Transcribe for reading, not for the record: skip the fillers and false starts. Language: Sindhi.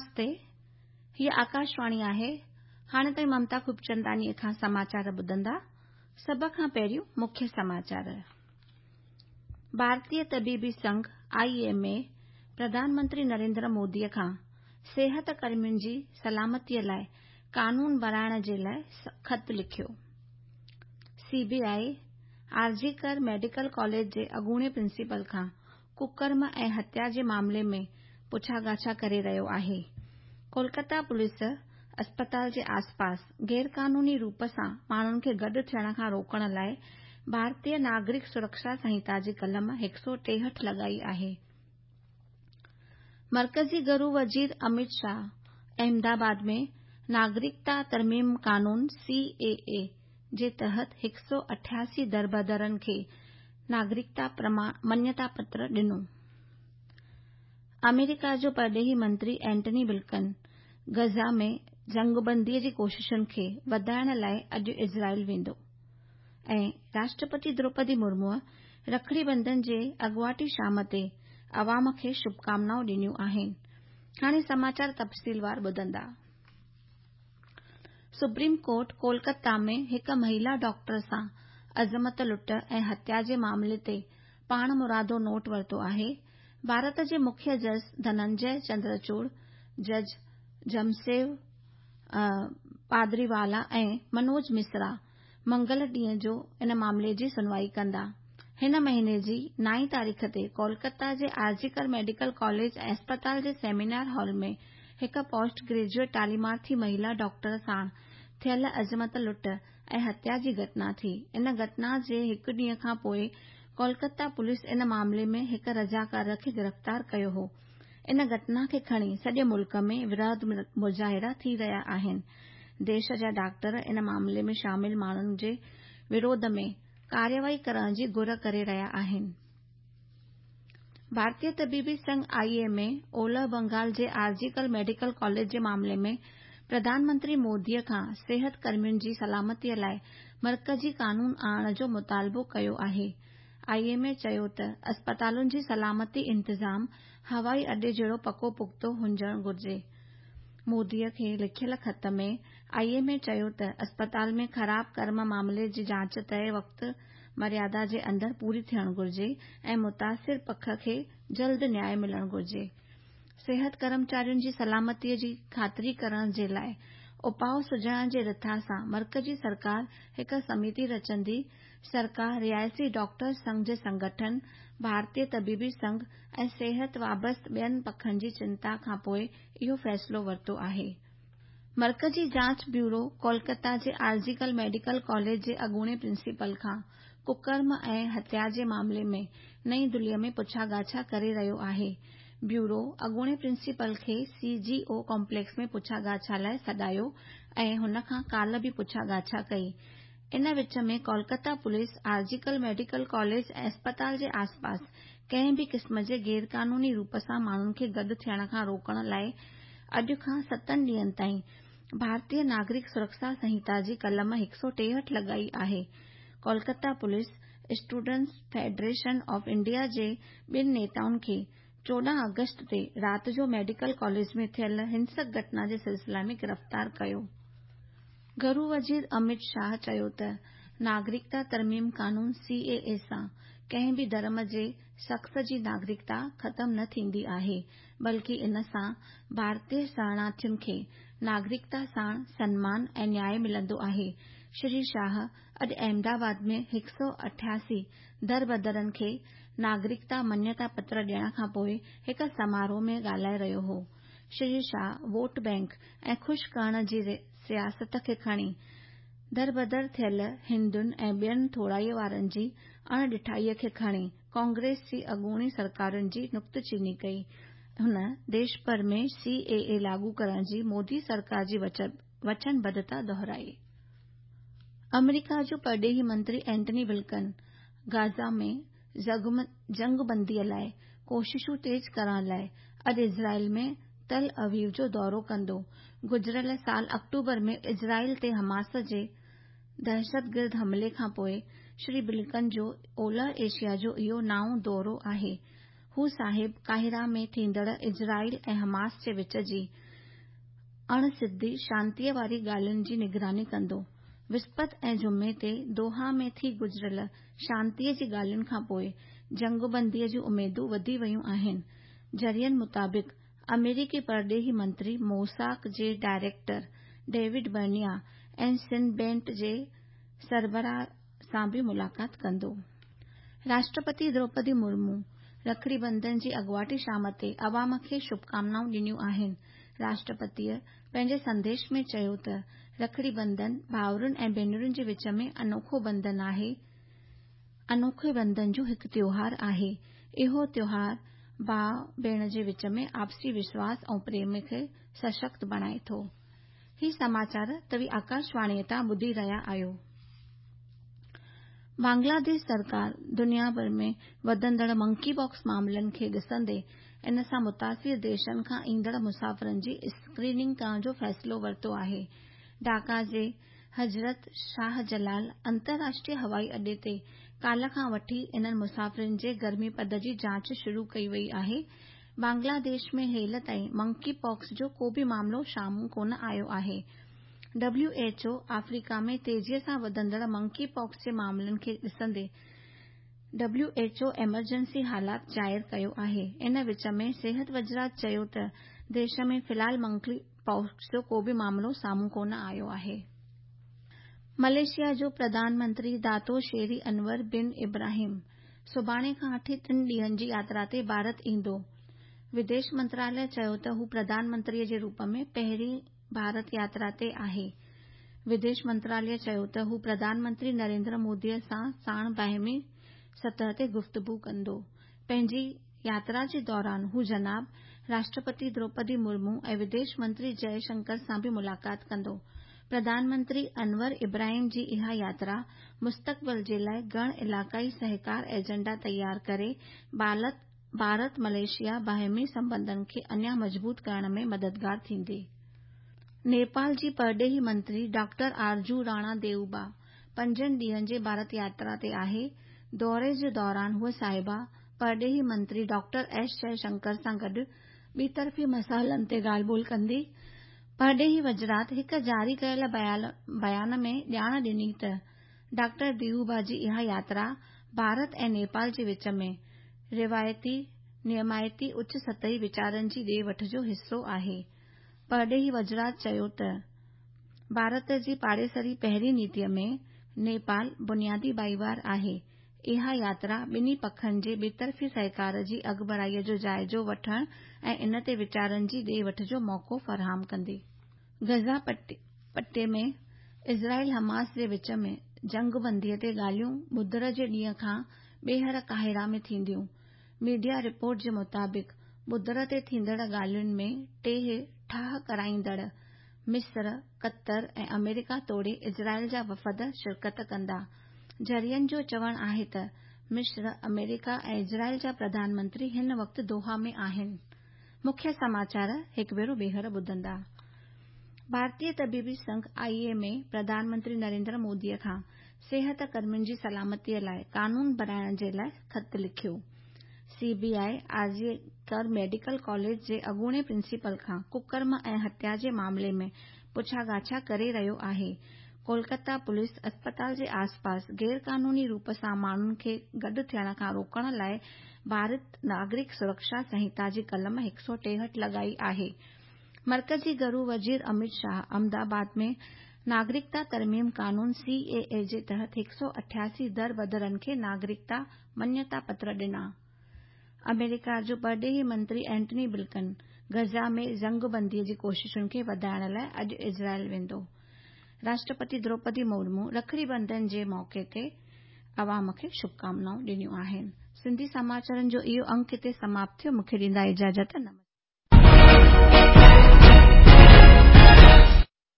نمستي، هيء آڪاشواڻي آهي. هاڻي توهين ممتا خوبچنداڻيء کان سماچار ٻڌندا. سڀ کان پهريون مکيه سماچار. ڀارتيه طبيبي Singh, I M A, Pradhan Mantri Narendra موديء کان صحت ڪرمين جي سلامتيء لاء قانون بڻائڻ جي لاء خط لکيو. C B I, R G Kar medical college جي اڳوڻي پرنسپل کان ڪوڪرم ۽ هتيا جي معاملي ۾ پڇاڳاڇا ڪري رهيو آهي. ڪولڪتا پوليس اسپتال جي آسپاس غيرقانوني روپ سان ماڻهن کي گڏ ٿيڻ کان روڪڻ لاء ڀارتيه ناگرڪ سرڪشا سنهتا جي قلم 163 لڳائي آهي. مرڪزي گهرو وزير اميت شاهه احمد آباد ۾ ناگرڪتا ترميم قانون، سي اي اي، جي تحت 188 دربدرن کي ناگرڪتا مڃتا پتر ڏنو. آمريڪا جو پرڏيهي منتري اينٽني بلڪن غزه ۾ جنگبندي جي ڪوششن کي وڌائڻ لاء اڄ اسرائيل ويندو ۽ راشٽرپتي دروپدي مرموء رکڙي بندن جي اڳواٽي شام تي عوام کي شڀڪامنائون ڏنيون آهن. هاڻي سماچار تفصيلوار ٻڌندا. سپريم ڪورٽ ڪولڪتا ۾ هڪ مهيلا ڊاڪٽر سان عظمت لٽ ۽ هتيا جي معاملي تي پاڻمرادو نوٽ ورتو آهي. ڀارت جي مکيه جج ڌننجي چندرچوڙ، جج جمسيو پادريوالا ۽ منوج مسرا منگل ڏينهن جو ان معاملي جي سنوائي ڪندا. هن مهيني جي نائين تاريخ تي ڪولڪتا جي R G Kar medical college ۽ اسپتال جي سيمينار هال ۾ هڪ پوسٽ گريجوئيٽ تعليمارٿي مهيلا ڊاڪٽر ساڻ ٿيل عظمت لٽ ۽ هتيا جي گهٽنا ٿي. ان گهٽنا جي هڪ ڏينهن کان پوء ڪولڪتا پوليس ان معاملي ۾ هڪ رضاڪار کي گرفتار ڪيو هو. ان گهٽنا کي کڻي سڄي ملڪ ۾ وروڌ مظاهرا ٿي رهيا آهن. ديش جا ڊاڪٽر ان معاملي ۾ شامل ماڻهن جي وروڌ ۾ ڪارروائي ڪرڻ جي گهر ڪري رهيا آهن. ڀارتيه طبيبي سنگهه، I M A, اولهه بنگال جي آر جي ڪر ميڊيڪل ڪاليج جي معاملي ۾ پرڌان منتري مودي کان صحت ڪرمين جي سلامتي لاء مرڪزي قانون آڻڻ جو مطالبو ڪيو آهي. I M A چيو ته اسپتالن جي سلامتي انتظام هوائي اڏي جهڙو پڪو پختو هجڻ گهرجي. مودي کي لکيل خط ۾ I M A چيو ته اسپتال ۾ خراب ڪرم معاملي جي جاچ طئي وقت مريادا جي اندر پوري ٿيڻ گهرجي ۽ متاثر پک کي جلد نياء ملڻ گهرجي. صحت ڪرمچارين جي سلامتي جي خاطري ڪرڻ جي لاء اپاء سجهائڻ جي رٿا سان مرڪزي سرڪار هڪ سميتي رچندي سرڪار رهائشي ڊاڪٽرز سنگهه جي سنگٺن، ڀارتيه طبيبي سنگهه ۽ صحت وابسته ٻين پکن جي چنتا کانپوء اهو فيصلو ورتو آهي. مرڪزي جاچ بيورو ڪولڪتا جي آر جي ڪر ميڊيڪل ڪاليج جي اڳوڻي پرنسپل کان ڪوڪرم ۽ هتيا جي معاملي ۾ نئين دهليء ۾ پڇا ڳاڇا ڪري رهيو آهي. بيورو اڳوڻي پرنسپل کي سي جي او ڪامپليڪس ۾ پڇا ڳاڇا لاء سڏايو ۽ هن کان ڪالهه به پڇا ڳاڇا ڪئي. ان وچ ۾ Kolkata police R G Kar medical college ۽ اسپتال جي آسپاس ڪنهن به قسم جي غيرقانوني روپ سان ماڻهن کي گڏ ٿيڻ کان روڪڻ لاء اڄ کان ستن ڏينهن تائين ڀارتيه ناگرڪ سرڪشا سنهتا جي قلم 163 لڳائي آهي. Kolkata police students federation of India جي ٻن نيتائن کي 14 آگسٽ تي رات جو ميڊيڪل ڪاليج ۾ ٿيل هنسڪ گهٽنا جي سلسلي ۾ گرفتار ڪيو. گهرو وزير اميت شاهه چيو ته ناگرڪتا ترميم قانون، سي اي اي، سان ڪنهن به ڌرم جي شخص جي ناگرڪتا ختم نه ٿيندي آهي بلڪه ان سان ڀارتي شرڻاٿين کي ناگرڪتا ساڻ سنمان ۽ نياء ملندو آهي. شري شاهه اڄ احمد آباد ۾ 188 دربدرن کي ناگرڪتا مڃتا پتر ڏيڻ کانپوء هڪ سماروهه ۾ ڳالهائي رهيو هو. شري شاهه ووٽ بئنڪ ۽ خوش ڪرڻ جي سياست کي کڻي دربدر ٿيل هندن ۽ ٻين ٿورائي وارن جي اڻ ڏٺائيء کي کڻي ڪانگريس جي اڳوڻي سرڪارن جي نڪته چيني ڪئي. هن ديش ڀر ۾ سي اي اي لاڳو ڪرڻ جي مودي سرڪار جي وچنبڌتا دهرائي. آمريڪا جو پرڏيهي منتري اينٽني بلڪن غزه ۾ جنگبندي لاء ڪوششون تيز ڪرڻ لاء اڄ اسرائيل ۾ تل اويو جو دورو ڪندو. گذريل سال آڪٽوبر ۾ اسرائيل تي حماس جي دهشتگرد حملي کانپوء شري بلنڪن جو اولهه ايشيا جو اهو نائون دورو آهي. هو صاحب قاهره ۾ ٿيندڙ اسرائيل ۽ حماس جي وچ جي اڻ سڌي شانتيء واري ڳالهين جي نگراني ڪندو. وسپت ۽ جمعي تي دوحا ۾ ٿي گذريل شانتيء جي ڳالهين کانپوء جنگبنديء جون اميدون وڌي ويون آهن. ذريعن مطابق آمريڪي پرڏيهي منتري موساد جي director David Barnea ۽ Shin Bet جي سربراهه سان به ملاقات ڪندو. راشٽرپتي دروپدي مرمو رکڙي بنڌن جي اڳواٽي شام تي عوام کي شڀڪامنائون ڏنيون آهن. راشٽرپتيء پنهنجي سنديش ۾ چيو ته رکڙي بنڌن ڀائرن ۽ ڀينرن جي وچ ۾ انوکو بنڌن آهي، انوکي بنڌن جو هڪ تيوهار آهي. اهو تيوهار ڀاء ڀيڻ جي وچ ۾ آپسي وشواس ۽ پريم کي سشڪت بڻائي ٿو. هي سماچار توهين آڪاشواڻيء تان ٻڌي رهيا آهيو. بنگلاديش سرڪار دنيا ڀر ۾ وڌندڙ منڪي پاڪس معاملن کي ڏسندي ان سان متاثر ديشن کان ايندڙ مسافرن جي اسڪريننگ ڪرڻ جو فيصلو ورتو آهي. ڍاڪا جي حضرت شاهه جلال انترراشٽريه هوائي اڏي تي ڪالهه کان وٺي انهن مسافرن جي گرمي پد جي جاچ شروع ڪئي وئي آهي. بنگلاديش ۾ هيل تائين منڪي پاڪس جو ڪو به معاملو سامهون ڪونه آيو آهي. ڊبليو ايڇ او آفريڪا ۾ تيزيء سان وڌندڙ منڪي پاڪس جي معاملن کي ڏسندي ڊبليو ايڇ او ايمرجنسي حالات ظاهر ڪيو آهي. ان وچ ۾ صحت وزارت چيو ته ديش ۾ في الحال منڪي پاڪس جو ڪو به معاملو سامهون ڪونه آيو آهي. ملائيشيا جو پرڌان منتري داتو شيري انور بن ابراهيم سڀاڻي کان وٺي ٽن ڏينهن جي ياترا تي ڀارت ايندو. وديش منتراليه چيو ته هو پرڌان منتري جي روپ ۾ پهرين ڀارت ياترا تي آهي. وديش منتراليه چيو ته هو پرڌان منتري نريندر مودي سان ساڻ باهمي سطح تي گفتگو ڪندو. پنهنجي ياترا جي دوران هو جناب راشٽرپتي دروپدي مرمو ۽ وديش منتري جئه شنڪر سان به ملاقات ڪندو. پرڌان منتري انور ابراهيم جي اها ياترا مستقبل جي لاء گهڻ علائقائي سهڪار ايجنڊا تيار ڪري ڀارت ملائيشيا باهمي سنٻنڌن کي اڃا مضبوط ڪرڻ ۾ مددگار ٿيندي. نيپال جي پرڏيهي منتري ڊاڪٽر آرزو راڻا ديوبا پنجن ڏينهن جي ڀارت ياترا تي آهي. دوري جي دوران هوء صاحبه پرڏيهي منتري ڊاڪٽر ايس جئه شنڪر سان گڏ ٻطرفي مسئلن تي ڳالهه ٻولهه ڪندي. پرڏيهي وزارت هڪ جاري ڪيل بيان ۾ ڄاڻ ڏني ته ڊاڪٽر ديوبا جي اها ياترا ڀارت ۽ نيپال جي وچ ۾ روايتي نيمائتي اچ سطحي ويچارن جي ڏي وٺ جو حصو آهي. پرڏيهي وزارت چيو ته ڀارت جي پاڙيسري پهرين نيتي ۾ نيپال بنيادي ڀائيوار آهي، اها ياترا ٻنهي پکن جي ٻطرفي سهڪار جي اڳڀرائي جو جائزو وٺڻ ۽ ان تي ويچارن جي ڏي وٺ جو موقعو فراهم ڪندي. غزه پٽي ۾ اسرائيل حماس جي وچ ۾ جنگبندي تي ڳالهيون ٻڌر جي ڏينهن کان ٻيهر قاهره ۾ ٿينديون. ميڊيا رپورٽ جي مطابق ٻڌر تي ٿيندڙ ڳالهين ۾ ٽي ٺاهه ڪرائيندڙ مصر، قطر ۽ آمريڪا توڙي اسرائيل جا وفد شرڪت ڪندا. ذريعن جو چوڻ آهي ته مصر، آمريڪا ۽ اسرائيل جا پرڌان منتري هن وقت دوحا ۾ آهن. مکيه سماچار هڪ ڀيرو ٻيهر ٻڌندا. ڀارتيه طبيبي سنگهه I M اي پرڌان منتري نريندر مودي کان صحت ڪرمين جي سلامتي لاء قانون بڻائڻ جي لاء خط لکيو. C B I R G Kar medical college جي اڳوڻي پرنسپل کان ڪڪرم ۽ هتيا جي معاملي ۾ پڇا ڳاڇا ڪري رهيو آهي. ڪولڪتا پوليس اسپتال جي آسپاس غيرقانوني روپ سان ماڻهن کي گڏ ٿيڻ کان روڪڻ لاء ڀارت ناگرڪ سرڪشا سنهتا جي قلم 163 لڳائي آهي. مرڪزي گهرو وزير امت شاهه احمد آباد ۾ ناگرڪتا ترميم قانون سي اي اي جي تحت 188 دربدرن کي ناگرڪتا مڃتا پتر ڏنا. آمريڪا جو پرڏيهي منتري اينٽني بلڪن غزه ۾ جنگبندي جي ڪوششن کي وڌائڻ لاء اڄ اسرائيل ويندو. راشٽرپتي دروپدي مرمو رکڙي بنڌن جي موقعي تي عوام کي شڀڪامنائون ڏنيون آهن. سنڌي سماچارن جو اهو انڪ هتي سماپت ٿيو. مون کي ڏيندا اجازت. نمسڪار.